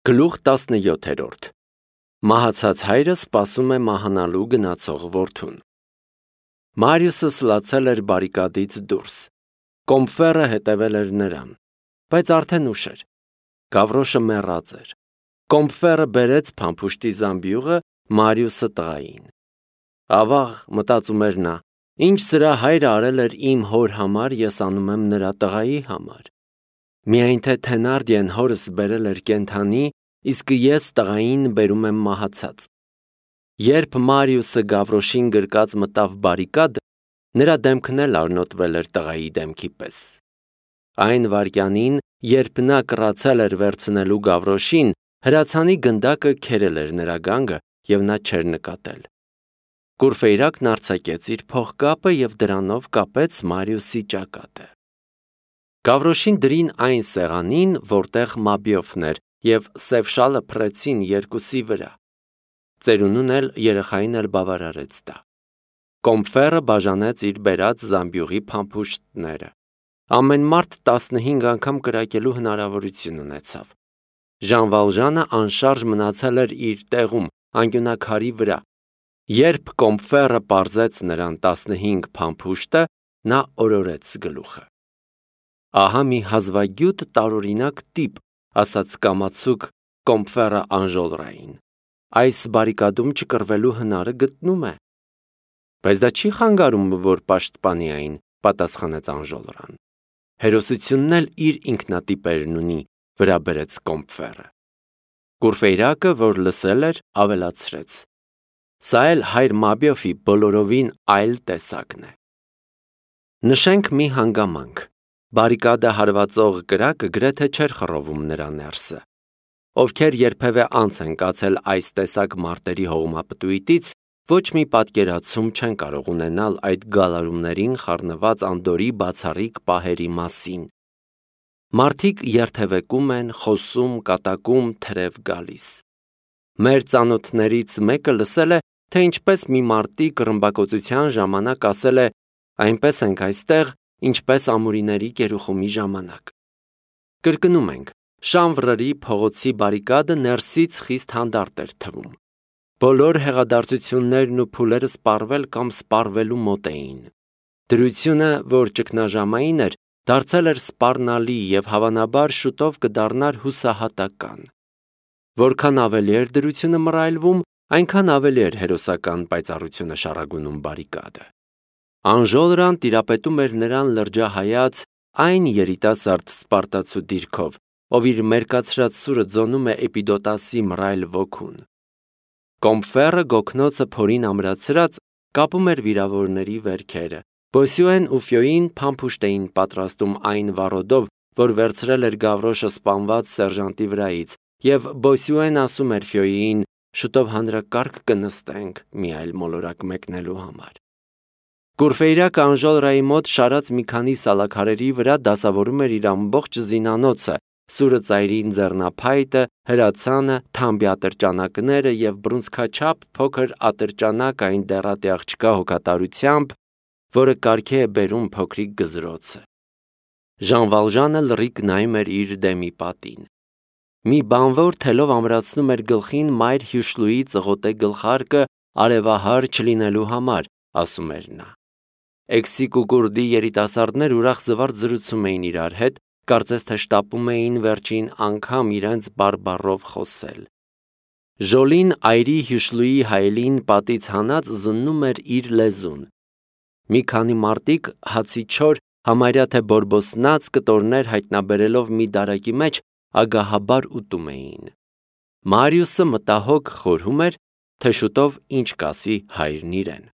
Գլուխ 17 Մահացած հայրը սպասում է մահանալու գնացող որդուն։ Մարիուսը սլացել էր բարիկադից դուրս։ Կոմֆերը հետևել էր նրան, բայց արդեն ուշ էր։ Գավրոշը մեռած էր։ Կոմֆերը բերեց փամփուշտի զամբյուղը Մարիուսը տղային։ Ավաղ, մտածում էր նա, ինչ սրա հայրը արել էր իմ հոր համար, ես անում եմ նրա տղայի համար։ Միայն թե Թենարդիեն հորս բերել էր կենդանի, իսկ ես տղային բերում եմ մահացած։ Երբ Մարիուսը Գավրոշին գրկած մտավ բարիկադ, նրա դեմքն էլ արնոտվել էր տղայի դեմքի պես։ Այն վայրկյանին, երբ նա կռացել էր վերցնելու Գավրոշին, հրացանի գնդակը քերել էր նրա գանգը և նա չէր նկատել։ Կուրֆեյրակն արձակեց իր փողկապը և դրանով կապեց Մարիուսի ճակատը։ Գավրոշին դրին այն սեղանին, որտեղ Մաբիոֆն էր, և սև շալը փռեցին երկուսի վրա։ Ծերունուն էլ երեխային էլ բավարարեց դա։ Կոմֆերը բաժանեց իր բերած զամբյուղի փամփուշտները։ Ամեն մարդ 15 անգամ կրակելու հնարավորություն ունեցավ։ Ժան Վալժանը անշարժ մնացել էր իր տեղում, անկյունակարի վրա։ Երբ Կոմֆերը պարզեց նրան 15 փամփուշտը, նա օրորեց գլուխը։ Ահա մի հազվագյուտ տարօրինակ տիպ, ասաց կամացուկ Կոմֆերը Անժոլրային։ Այս բարիկադում չկռվելու հնարը գտնում է։ Բայց դա չի խանգարում, որ պաշտպանի այն, պատասխանեց Անժոլրան։ Հերոսությունն էլ իր ինքնատիպերն ունի, վրա բերեց Կոմֆերը։ Կուրֆեյրակը, որ լսել էր, ավելացրեց. Սա էլ հայր Մաբիոֆի բոլորովին այլ տեսակն է։ Նշենք մի հանգամանք։ Բարիկադը հարվածող կրակը գրեթե չէր խռովում նրա ներսը։ Ովքեր երբևէ անց են կացել այս տեսակ մարտերի հողմապտույտից, ոչ մի պատկերացում չեն կարող ունենալ այդ գալարումներին խառնված անդորի բացառիկ պահերի մասին։ Մարդիկ երթևեկում են, խոսում, կատակում, թրև գալիս։ Մեր ծանոթներից մեկը լսել է, թե ինչպես մի մարտիկ ռմբակոծության ժամանակ ասել է. այնպես ենք այստեղ, ինչպես ամուրիների կերուխումի ժամանակ։ Կրկնում ենք, Շանվրերի փողոցի բարիկադը ներսից խիստ հանդարտ էր թվում։ Բոլոր հեղադարձություններն ու փուլերը սպառվել կամ սպառվելու մոտ էին։ Դրությունը, որ ճգնաժամային էր, դարձել էր սպառնալի և հավանաբար շուտով կդառնար հուսահատական։ Որքան ավելի էր դրությունը մռայլվում, այնքան ավելի էր հերոսական պայծառությունը շառագունում բարիկադը։ Անժոլրան տիրապետում էր նրան լրջահայաց այն երիտասարդ սպարտացու դիրքով, ով իր մերկացրած սուրը ձոնում է Էպիդոտասի մռայլ ոգուն։ Կոմֆերը գոգնոցը փորին ամրացրած կապում էր վիրավորների վերքերը։ Բոսյուեն ու Ֆյոին փամփուշտ էին պատրաստում այն վառոդով, որ վերցրել էր Գավրոշը սպանված սերժանտի վրայից, և Բոսյուեն ասում էր Ֆյոյին. շուտով հանրակարգ կնստենք մի այլ մոլորակ մեկնելու համար։ Կուրֆեյրակը Անժոլրայի մոտ շարած մի քանի սալաքարերի վրա դասավորում էր իր ամբողջ զինանոցը, սուրը ծայրին ձեռնափայտը, հրացանը, թամբի ատրճանակները և բռունցքաչափ փոքր ատրճանակ այն դեռատի աղջկա հոգատարությամբ, որը կարգի է բերում փոքրիկ գզրոցը։ Ժան Վալժանը լռիկ նայում էր իր դեմի պատին։ Մի բանվոր թելով ամրացնում էր գլխին մայր Հյուշլուի ծղոտե գլխարկը արևահար չլինելու համար, ասում էր նա։ Էքսիկ ու կուրդի երիտասարդներ ուրախ զվարթ զրուցում էին իրար հետ, կարծես թե շտապում էին վերջին անգամ իրենց բարբառով խոսել։ Ժոլին այրի Հյուշլուի հայելին պատից հանած զննում էր իր լեզուն։ Մի քանի մարտիկ հացի չոր, համարյա թե բորբոսնած կտորներ հայտնաբերելով մի դարակի մեջ ագահաբար ուտում էին։ Մարիուսը մտահոգ խորհում էր, թե շուտով ինչ կասի հայրն իրեն։